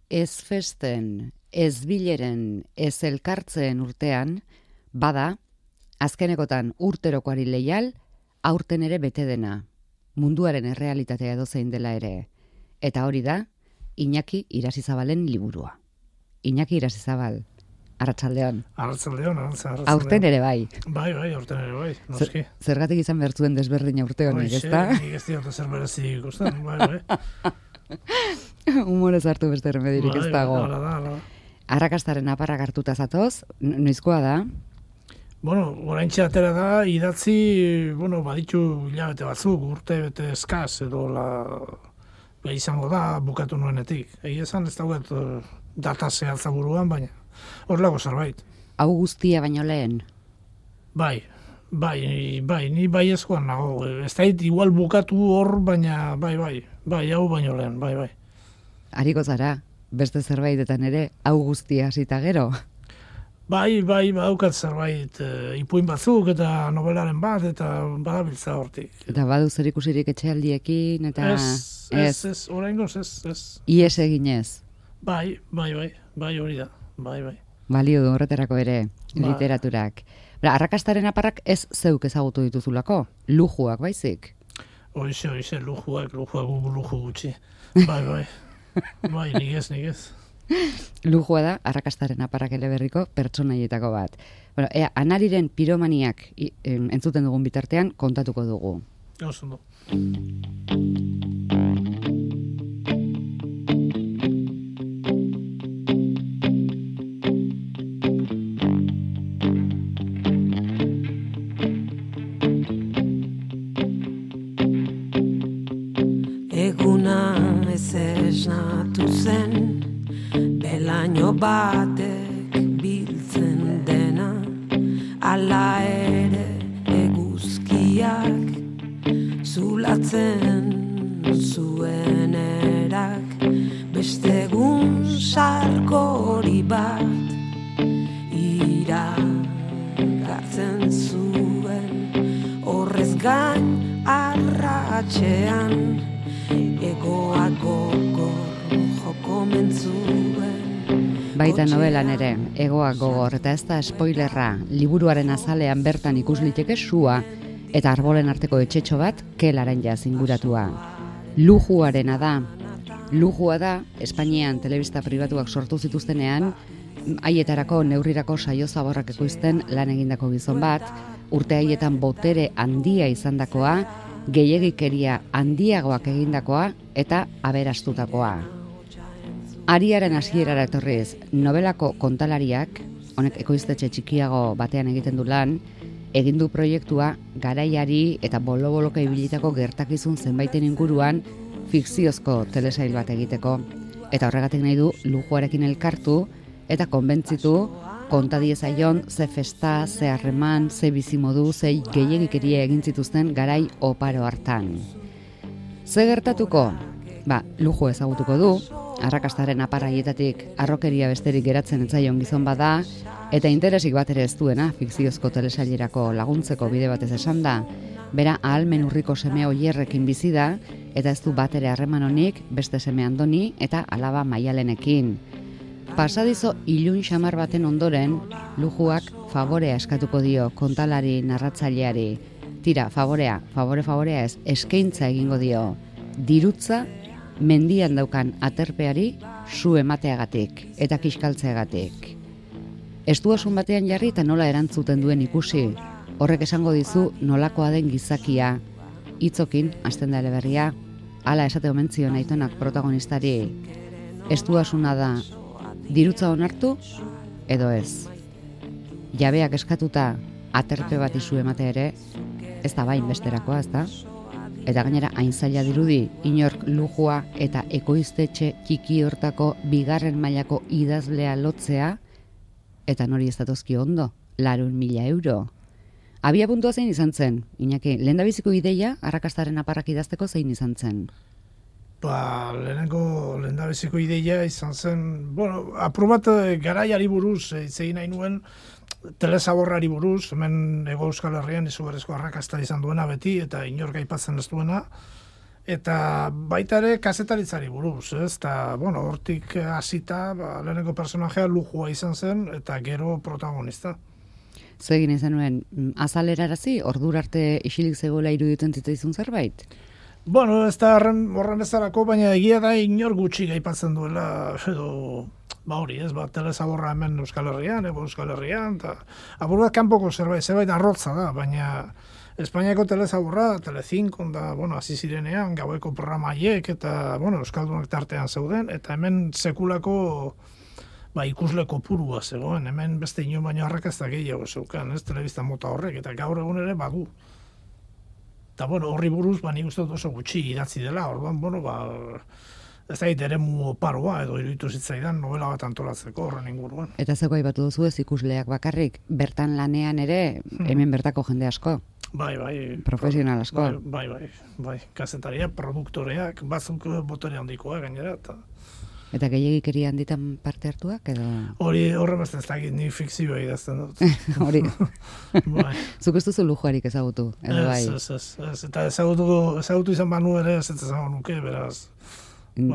ez festen, ez bileren, ez elkartzen urtean, bada, azkenekotan urterokoari leial, aurten ere bete dena, munduaren errealitatea edozein dela ere. Eta hori da, Iñaki Irasizabalen liburua. Iñaki Irasizabal, arratsaldeon. Arratsaldeon. Aurten ere bai. Bai, aurten ere bai, noski. Zergatik izan bertzuen desberdina urte honik, ezta? Nik ez diot zer berezi ikusten, bai. Humorez hartu beste remedirik ez dago. Hala da. Arrakastaren aparrak hartuta zatoz, noizkoa da? Oraintxe atera da, idatzi, baditu hilabete batzuk, urte bete eskaz, edo izango da bukatu nuenetik. Egia esan ez daugat data zehatza buruan, baina horrelako zerbait. Hau guztia baino lehen? Bai, ni bai eskoan nago. Ez da igual bukatu hor, baina bai, hau baino lehen, bai. Hariko zara, beste zerbaitetan ere, hau guztia hasita gero? Bai, badaukat zerbait ipuin batzuk eta novelaren bat, eta badabiltza hortik. Eta badu zer ikusirik etxealdiekin, eta... Ez, oraingoz ez. Ies eginez? Bai, hori da, bai. Balio du horretarako ere, literaturak. Arrakastaren aparrak ez zeuk ezagutu dituzulako, lujuak baizik? Hoize, lujuak luju gutxi. Bai, nik ez. Lujua da, arrakastaren aparrak eleberriko pertsonaietako bat. Anariren piromaniak entzuten dugun bitartean kontatuko dugu. Oso. Eguna ez esnatu zen, belaino batek biltzen dena, ala ere eguzkiak zulatzen zuen erak, beste egun sarkori bat iragartzen zuen, horrez gain arratxean egoak gogor joko mentzuen. Baita novelan ere, egoak gogor, eta ez da spoilerra, liburuaren azalean bertan ikus liteke sua, eta arbolen arteko etxetxo bat kelaren jaz inguratua. Lujuarena da. Lujua da, Espainian telebista pribatuak sortu zituztenean, haietarako neurrirako saio zaborrak ekoizten lan egindako gizon bat, urte haietan botere handia izandakoa, gehiegikeria handiagoak egindakoa eta aberastutakoa. Ariaren hasierara etorriz, novelako kontalariak, honek ekoiztetxe txikiago batean egiten du lan, egin du proiektua garaiari eta bolo-boloka ibilitako gertakizun zenbaiten inguruan fikziozko telesail bat egiteko. Eta horregatik nahi du lujuarekin elkartu eta konbentzitu konta diezaion ze festa, ze harreman, ze bizimodu, ze gehiegikeria egin zituzten garai oparo hartan. Ze gertatuko? Luju ezagutuko du, arrakastaren aparraietatik arrokeria besterik geratzen etzaion gizon bada, eta interesik bat ere ez duena fikziozko telesailerako laguntzeko bide batez esan da, bera ahalmen urriko seme oierrekin bizi da, eta ez du bat ere harreman honik beste seme Andoni eta alaba Maialenekin. Pasadizo ilun xamar baten ondoren, lujuak favorea eskatuko dio kontalari narratzaileari. Tira, favorea ez, eskaintza egingo dio. Dirutza mendian daukan aterpeari su emateagatik eta kiskaltzeagatik. Estuasun batean jarri eta nola erantzuten duen ikusi, horrek esango dizu nolakoa den gizakia. Hitzokin, hasten da eleberria, hala esate omen zion aitonak protagonistari. Estuasuna da, dirutza onartu edo ez. Jabeak eskatuta aterpe bat izu emate ere, ez da bain besterakoa, ez da? Eta gainera hain zaila dirudi, inork lujua eta ekoiztetxe txiki hortako bigarren mailako idazlea lotzea, eta nori ez datozki ondo, 400.000 euro. Abia puntua zein izan zen, Iñaki, lehendabiziko ideia arrakastaren aparrak idazteko zein izan zen? Lehendabiziko ideia izan zen, aprobat garaiari buruz, egin nahi nuen, telesaborrari buruz, hemen Hego Euskal Herrian izugarrizko arrakasta izan duena beti, eta inork aipatzen ez duena, Eta baita ere kazetaritzari buruz, ez? Eta, bueno, hortik hasita, lehenengo personajea lujua izan zen, eta gero protagonista. Zegin izan nuen, azalerarazi, ordura arte isilik zegoela iruditzen zitzaizun zerbait? Bueno, ez da horren bezalako, baina egia da inor gutxi gaipatzen duela, edo, hori, ez, telezaborra hemen Euskal Herrian, Euskal Herrian, eta apur bat kanpoko zerbait arrotza da, baina Espainiako telezaborra, Telecinco, da, bueno, hasi zirenean, gaueko programa haiek, eta, bueno, Euskaldunak tartean zeuden, eta hemen sekulako ikusle kopurua zegoen, hemen beste inon baino arrakazta gehiago zeukan, ez, telebista mota horrek, eta gaur egun ere badu. Eta, bueno, horri buruz, nik uste dut oso gutxi idatzi dela, orduan, bueno, ez da eremu oparoa, edo iruditu zitzaidan novela bat antolatzeko horren inguruan. Eta zeko aipatu duzu ez ikusleak bakarrik, bertan lanean ere, hemen bertako jende asko? Bai. Profesional asko? Bai. Kazetaria, produktoreak, batzuk botere handikoa gainera, Eta gehiagikeria handitan parte hartuak, edo? Horre beste ez dakit, ni fikzioa idazten dut. Hori. Bai. Zuk ez duzu lujuarik ezagutu, edo bai? Ez. Eta ezagutu izan banu ere ez esango nuke, beraz.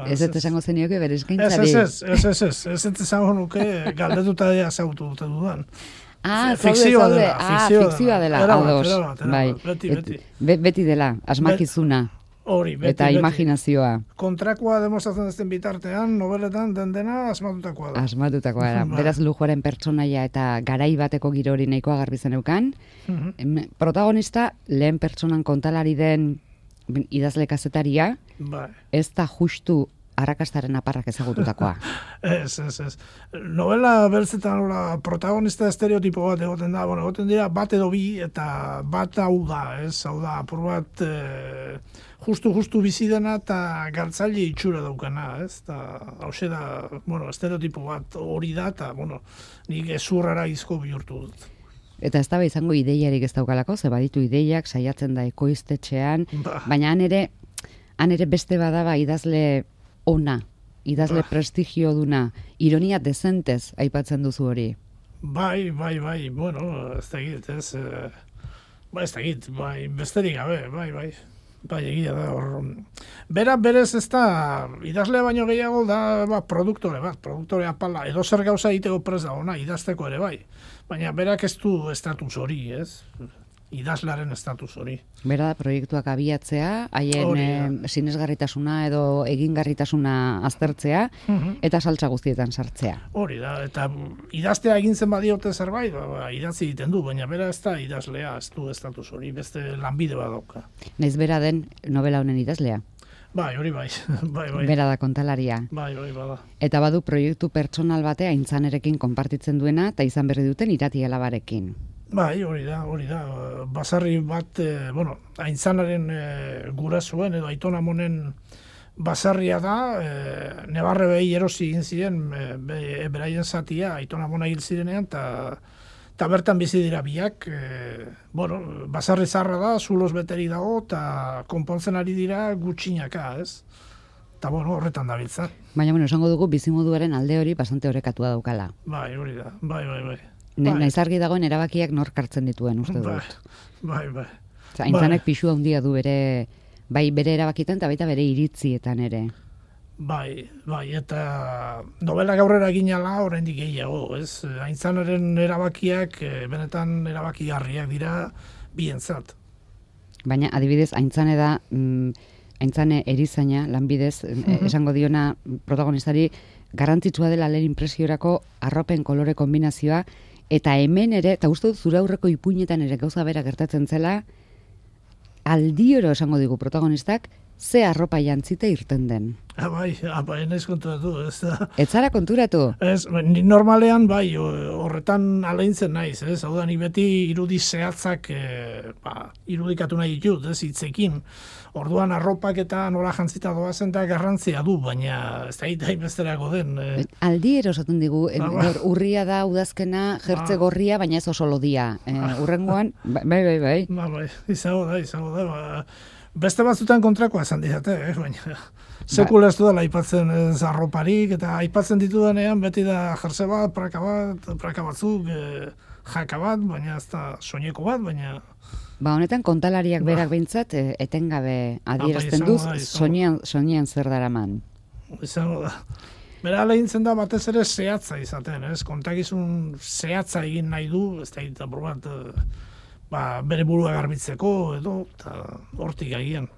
Ez esango zenioke bere eskaintzari? Ez esango nuke galdetuta ezagutu dute dudan. Fikzioa dela, ados. Beti. Beti dela, asmakizuna. Hori, beti. Eta imaginazioa. Kontrakoa demostratzen ezten bitartean, nobeletan dena asmatutakoa da. Asmatutakoa da. Beraz lujuaren pertsonaia eta garai bateko giro hori nahikoa garbi zeneukan. Protagonista, lehen pertsonan kontalari den idazle kazetaria, ez da justu arrakastaren aparrak ezagututakoa. Ez. Novela beltzetan protagonista estereotipo bat egoten da, egoten dira bat edo bi, eta bat hau da, hau da, apur bat justu bizi dena eta galtzaile itxura daukana, ez? Hauxe da, estereotipo bat hori da, eta, nik ezurrara izko bihurtu dut. Eta ez da izango ideiarik ez daukalako, ze baditu ideiak, saiatzen da ekoiztetxean, baina han ere beste badaba idazle ona, idazle prestigio duna, ironia dezentez aipatzen duzu hori. Bai, ez dakit, besterik gabe, bai, egia da hor. Berez ez da, idazle baino gehiago da produktore apala, edo zer gauza egiteko prest da ona, idazteko ere bai. Baina berak ez du estatus hori, ez? Idazlearen estatus hori. Bera da, proiektuak abiatzea, haien sinesgarritasuna edo egingarritasuna aztertzea, eta saltza guztietan sartzea. Hori da, eta idaztea egin zen badiote zerbait, idatzi egiten du, baina bera ez da idazlea, ez du estatus hori, beste lanbide badauka. Naiz bera den novela honen idazlea? Bai. Bera da kontalaria. Bai, bada. Eta badu proiektu pertsonal batea Aintzanerekin konpartitzen duena, eta izan berri duten Irati alabarekin. Bai, hori da. Basarri bat, Aintzanaren gurasuen edo Aiton Amonen basarria da, nebarre behi erosi egin ziren, beraien zatia, Aiton Amona hil zirenean, eta bertan bizi dira biak, basarri zarra da, zuloz beteri dago, eta konpontzen ari dira gutxinaka, ez? Eta horretan dabiltza. Baina, esango dugu bizimoduaren alde hori bastante horrekatua daukala. Bai, hori da, bai. Naiz argi dagoen erabakiak nork hartzen dituen, uste dut. Bai. Aintzanek pixu handia du bere erabakitan eta baita bere iritzietan ere. Bai, eta novela gaurrera ginala oraindik gehiago, ez? Aintzanaren erabakiak benetan erabakigarriak dira bientzat. Baina adibidez Aintzane da Aintzane erizaina lanbidez esango diona protagonistari garrantzitsua dela lehen impresiorako arropen kolore kombinazioa. Eta hemen ere, eta uste dut zure aurreko ipuinetan ere gauza bera gertatzen zela, aldioro esango digu protagonistak, ze arropa jantzita irten den. Bai, naiz konturatu, ez da. Ez zara konturatu? Ez, normalean, bai, horretan aleintzen naiz, ez? Hau da, ni beti irudi zehatzak irudikatu nahi ditut, ez, hitzekin. Orduan arropak eta nola jantzita doazen da garrantzia du, baina ez da hitain besterako den. Aldiero esaten digu, urria da, udazkena, jertze gorria, baina ez oso lodia. Urrengoan, bai. Bai, izango da. Beste batzutan kontrakoa esan didate, baina sekula ez dudala aipatzen arroparik, eta aipatzen ditudanean beti da jertze bat, praka batzuk, jaka bat, baina ez da soineko bat, baina... Ba, honetan kontalariak berak behintzat etengabe adierazten duz, soinean zer daraman. Izango da. Bera lehintzen da batez ere zehatza izaten, ez? Kontakizun zehatza egin nahi du, ez da egiten probat, bere burua garbitzeko, edo, eta hortik agian.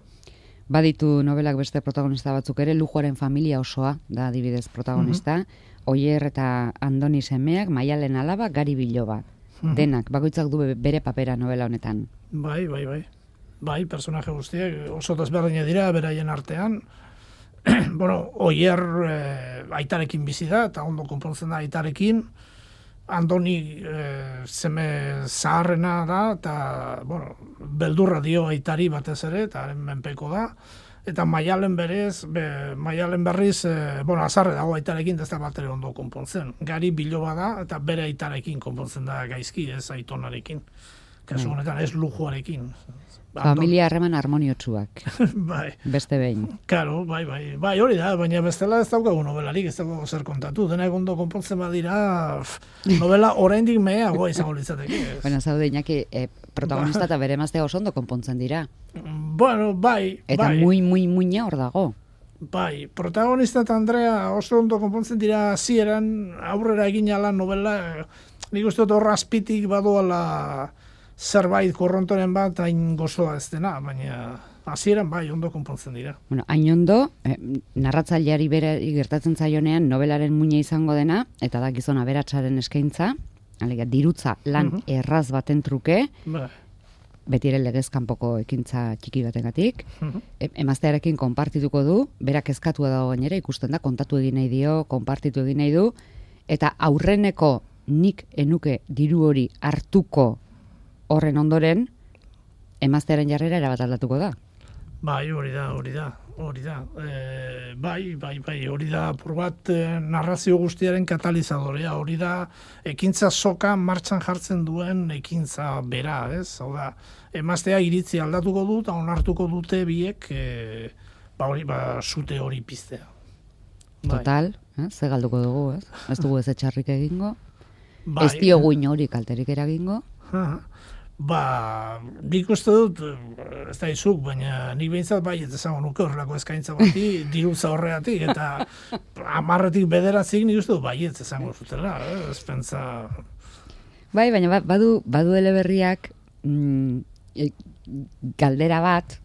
Baditu novelak beste protagonista batzuk ere, Lujoaren familia osoa da adibidez protagonista, Oier eta Andoni semeak, Maialen alaba, Gari Biloba. Denak, bakoitzak du bere papera novela honetan. Bai. Bai, personaje guztiak oso desberdina dira, beraien artean. Bueno, Oier aitarekin bizi da, eta ondo konpontzen da aitarekin. Andoni seme zaharrena da, eta, bueno, beldurra dio aitari batez ere, eta haren menpeko da. Eta Maialen berriz, azarre dago aitarekin, ez da bat ere ondo konpontzen. Gari Biloba da, eta bere aitarekin konpontzen da gaizki, ez aitonarekin. Kasu honetan, ez Lujoarekin. Familia harreman harmoniotsuak. Bai. Beste behin. Claro, bai, hori da, baina bestela ez daukagu novelarik, ez daukagu zer kontatu. Denak ondo konpontzen badira, novela oraindik meheagoa izango litzateke. Bueno, zaude, Iñaki, protagonista eta bere emaztea oso ondo konpontzen dira. Bueno, bai. Eta muina hor dago. Bai, protagonista eta Andrea oso ondo konpontzen dira hasieran aurrera egin ala novela, nik uste dut horra azpitik badoala zerbait korrontoren bat hain gozoa ez dena, baina hasieran bai ondo konpontzen dira. Bueno, hain ondo, narratzaileari bere gertatzen zaionean nobelaren muina izango dena, eta da gizon aberatsaren eskaintza, alega, dirutza lan erraz baten truke, beti ere legez kanpoko ekintza txiki batengatik, emaztearekin konpartituko du, berak kezkatua dago gainera, ikusten da, kontatu egin nahi dio, konpartitu egin nahi du, eta aurreneko nik enuke diru hori hartuko horren ondoren, emaztearen jarrera erabat aldatuko da. Bai, hori da. Hori da, apur bat narrazio guztiaren katalizadorea, hori da, ekintza soka martxan jartzen duen ekintza bera, ez? Hau da, emaztea iritzi aldatuko du, eta onartuko dute biek, sute hori piztea. Total, ze galduko dugu, ez? Ez dugu ez etxarrik egingo, ez diogu hori kalterik eragingo. Nik uste dut, ez da izuk, baina nik behintzat ez esango nuke horrelako eskaintza bati, dirutza horreatik, eta 10-tik 9 nik uste dut ez esango zutela, ez pentsa... Bai, baina badu eleberriak galdera bat,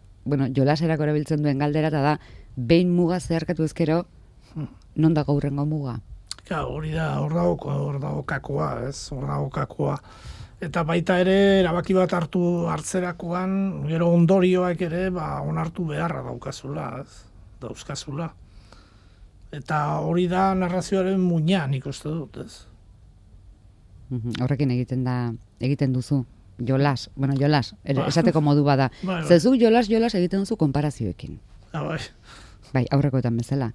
jolaserako erabiltzen duen galdera, eta da, behin muga zeharkatu ezkero, non dago hurrengo muga? Hori da, hor dago kakoa, ez, hor dago kakoa. Eta baita ere, erabaki bat hartzerakoan, gero ondorioak ere, onartu beharra dauzkazula. Eta hori da narrazioaren muina, nik uste dut, ez. Horrekin egiten duzu, jolas, esateko modu bada. Zezu jolas egiten duzu konparazioekin. Bai, aurrekoetan bezala.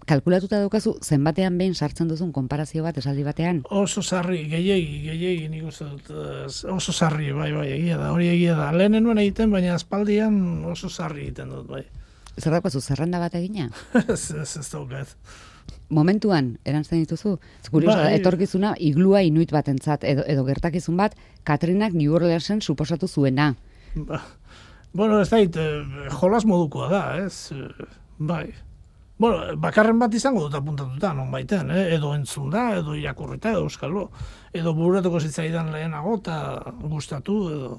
Kalkulatuta daukazu, zenbatean behin sartzen duzun konparazio bat esaldi batean? Oso sarri, gehiegi nik uste dut, oso sarri, bai, egia da. Lehen nuen egiten, baina aspaldian oso sarri egiten dut, bai. Zer daukazu, zerrenda bat egina? Ez daukat. Momentuan, erantzen dituzu? Etorkizuna iglua inuit batentzat, edo gertakizun bat, Katrinak New Orleansen suposatu zuena. Bueno, ez dait, jolas modukoa da, ez? Bai. Bueno, bakarren bat izango dut apuntatuta, non baiten, edo entzun da, edo irakurrita, edo euskalo, edo bururatuko zitzaidan lehenago, eta gustatu, edo...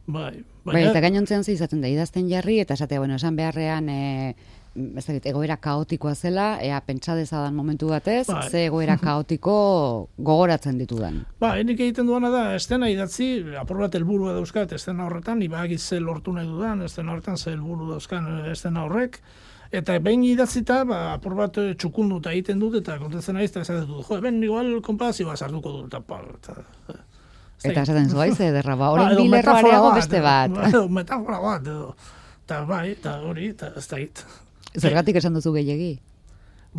Bai, eta gainontzean izaten da, idazten jarri, eta esatea, esan beharrean, egoera kaotikoa zela, pentsa dezadan momentu batez, ze egoera kaotiko gogoratzen ditudan. Nik egiten duana da, estena idatzi, apur bat helburua dauzkat, estena horretan, ibagit ze lortu nahi dudan, estena horretan ze helburu dauzkan estena horrek, eta behin idatzita, apur bat txukunduta egiten dut, eta kontetzen naiz, eta esaten dut, ben igual konparazioa sartuko dut, eta esaten zua ize ederra, horren bilerroareago beste bat. Metafora bat, eta eta hori, eta ez da hit. Zergatik esan duzu gehiegi?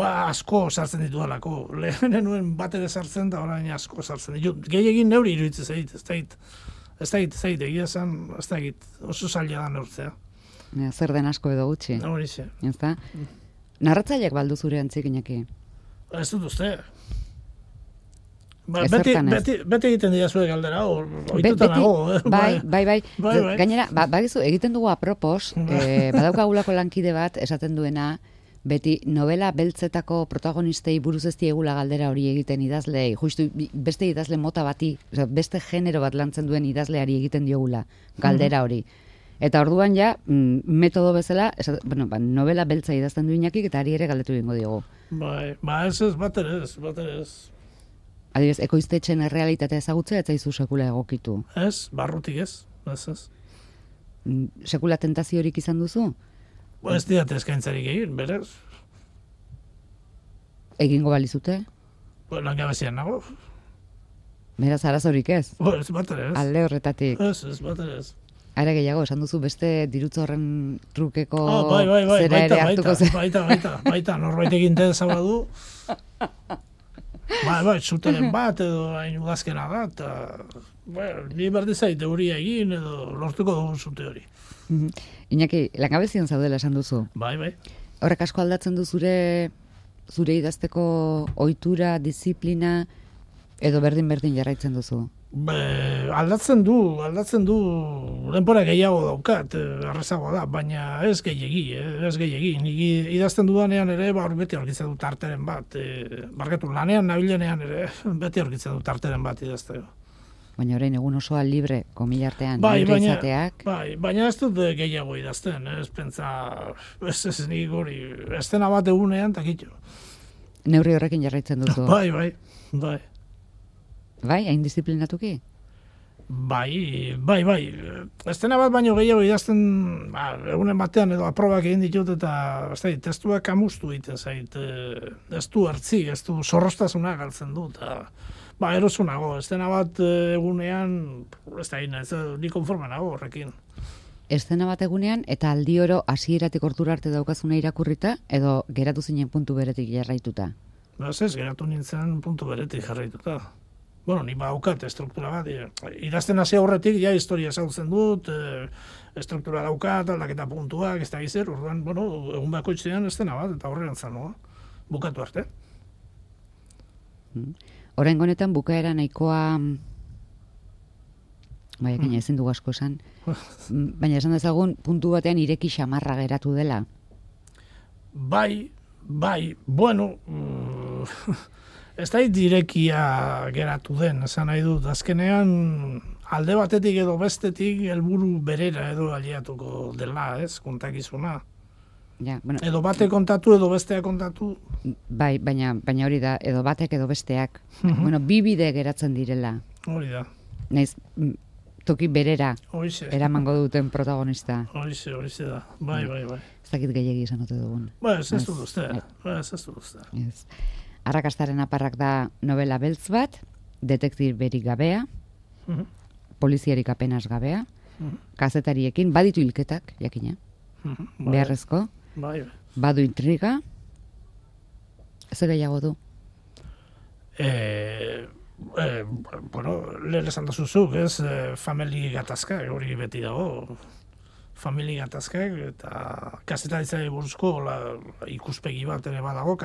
Asko sartzen ditu alako, lehenen nuen bat ere sartzen, da orain asko sartzen ditu. Gehiegin neuri iruditzen zait, ez da hit, egia esan, ez da hit, oso zaila da neurtzea. Zer den asko edo gutxi. Hori ze. Narratzaileak baldu zure antzik, Iñaki? Ez dut uste. Beti egiten dira zuek galdera, ohituta nago. Bai. Gainera, bagizu, egiten dugu apropos, badaukagulako lankide bat esaten duena, beti novela beltzetako protagonistei buruz ez diegula galdera hori egiten idazleei, justu beste idazle mota bati, beste genero bat lantzen duen idazleari egiten diogula galdera hori. Eta orduan ja, metodo bezala, novela beltza idazten du Iñakik eta ari ere galdetu egingo diogu. Ez, bat ere ez. Adibidez, ekoiztetxen errealitatea ezagutzea ez zaizu sekula egokitu. Ez, barrutik ez. Sekula tentaziorik izan duzu? Ez diat eskaintzarik egin, berez. Egingo balizute? Langabezian nago. Beraz, arazorik ez? Ez, bat ere ez. Alde horretatik. Ez, bat ere ez. Ara gehiago, esan duzu beste dirutza horren trukeko zera ere hartuko zen. Baita, norbait egiten zabadu. Zuteren bat edo hain udazkena da, eta ni berdi zait euria egin edo lortuko dugu zute hori. Iñaki, langabezian zaudela esan duzu. Bai. Horrek asko aldatzen du zure idazteko ohitura, disiplina, edo berdin jarraitzen duzu? Aldatzen du, denbora gehiago daukat, errezago da, baina ez gehiegi. Nik idazten dudanean ere, beti aurkitzen dut tarteren bat, lanean nabilenean ere, beti aurkitzen dut tarteren bat idazteko. Baina orain egun osoa libre, komilartean, libre izateak. Baina ez dut gehiago idazten, ez pentsa, ez nik hori, estena bat egunean, takitxo. Neurri horrekin jarraitzen duzu? Bai. Bai, hain disiplinatuki? Bai. Estena bat baino gehiago idazten, egunen batean edo aprobak egin ditut eta testuak amustu egiten zait. Ez du hartzi, ez du zorrostasuna galtzen dut. Erosunago, estena bat egunean, ni konforme nago horrekin. Estena bat egunean eta aldi oro hasieratik hortura arte daukazuna irakurrita edo geratu zinen puntu beretik jarraituta? Ez, geratu nintzen puntu beretik jarraituta. Ni badaukat estruktura bat, idazten hasi aurretik, historia ezagutzen dut, estruktura daukat, aldaketa puntuak, ez da gizer, orduan, egun bakoitzean estena bat, eta horrean zanoa, bukatu arte. Oraingo honetan bukaera nahikoa, baina ezin dugu asko esan, baina esan dezagun puntu batean ireki xamarra geratu dela. Bai, ez da direkia geratu den, esan nahi dut, azkenean alde batetik edo bestetik helburu berera edo aliatuko dela, kontakizuna. Edo bate kontatu edo bestea kontatu. Bai, baina hori da, edo batek edo besteak. Bi bide geratzen direla. Hori da. Naiz, toki berera eramango duten protagonista. Horixe da, bai. Ez dakit gehiagi esan ote dugun. Ez dut uste. Arrakastaren aparrak da novela beltz bat, detektiberik gabea, poliziarik apenas gabea, kazetariekin, baditu hilketak, jakina, beharrezko, badu intriga, ez gehiago du? Lehen esan da zuzuk, famili gatazka, hori beti dago, famili gatazkak, eta kazetaritzari buruzko ikuspegi bat ere badago,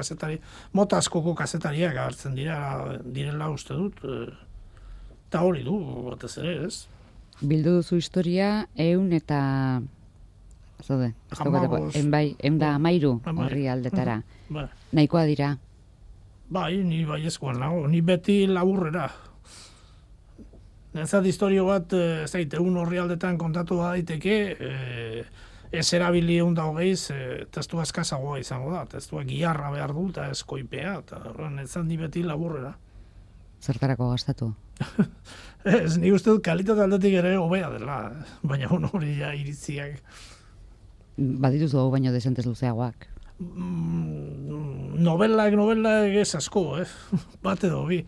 mota askoko kazetariak agertzen direla uste dut, eta hori du, batez ere, ez? Bildu duzu historia, 100 eta... Zode, da 13 horri aldetara. Nahikoa dira? Ni baiezkoan nago, ni beti laburrera. Nezat historio bat, egun horri aldetan kontatu daiteke, ez erabili 120, testua eskazagoa izango da, testua giharra behar du, eta eskoipea, eta nezat ni beti laburrera. Zertarako gastatu? Ez, nik uste dut kalitate aldetik ere hobea dela, baina hori iritziak. Badituzu hau baino desentez luzeagoak? Novelak ez asko, bat edo bi.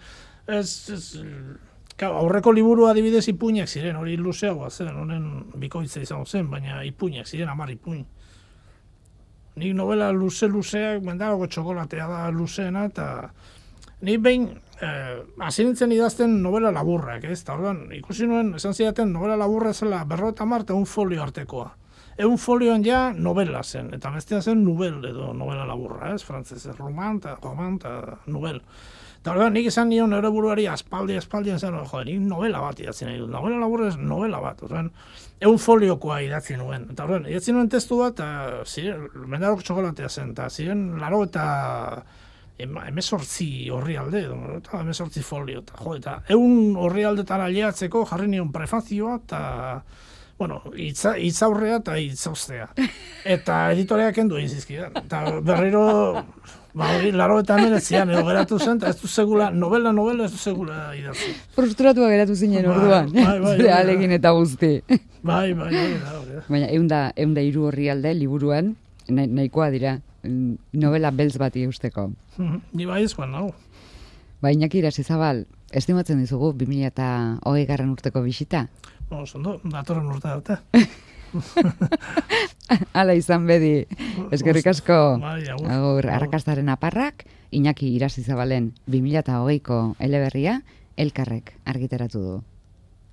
Aurreko liburu adibidez ipuinak ziren, hori luzeagoa zen, honen bikoitza izango zen, baina ipuinak ziren, 10 ipuin. Nik novela luzeak, mendagoko txokolatea da luzeena, eta nik behin, hasi nintzen idazten novela laburrak, eta orduan, ikusi nuen, esan zidaten novela laburra zela 50 eta 1 folio artekoa. egun folioan ja novela zen, eta bestea zen nubel edo novela laburra, ez, frantzez, roman, eta nubel. Eta horrean, nik esan nion nire buruari aspaldian zen, nik novela bat idatzi nahi dut. Novela laburra ez novela bat. Horrean, egun foliokoa idatzi nuen. Eta horrean, idatzi nuen testu bat, eta ziren, mendarok txokolatea zen, eta ziren, laro eta emezortzi horri alde, eta emezortzi folio. Eta egun horri aldetara lehatzeko jarri nion prefazioa, eta bueno, itzaurrea eta itzaustea. Eta editoreak kendu egin zizkidan. Eta berriro, laro eta emeretzian edo geratu zen, eta ez du segula, novela ez du segula idatzi. Frustratua geratu zinen orduan, zure alegin eta guzti. Bai. Baina, eunda hiru horri alde, liburuan, nahikoa dira, novela beltz bati eusteko. Ni bai ezkoan nago. Iñaki Irasizabal, estimatzen dizugu 2020 urteko bisita? Ondo, datorren urte arte. Hala izan bedi, eskerrik asko. Agur, arrakastaren aparrak, Iñaki Irasizabalen 2020ko eleberria, Elkarrek argitaratu du.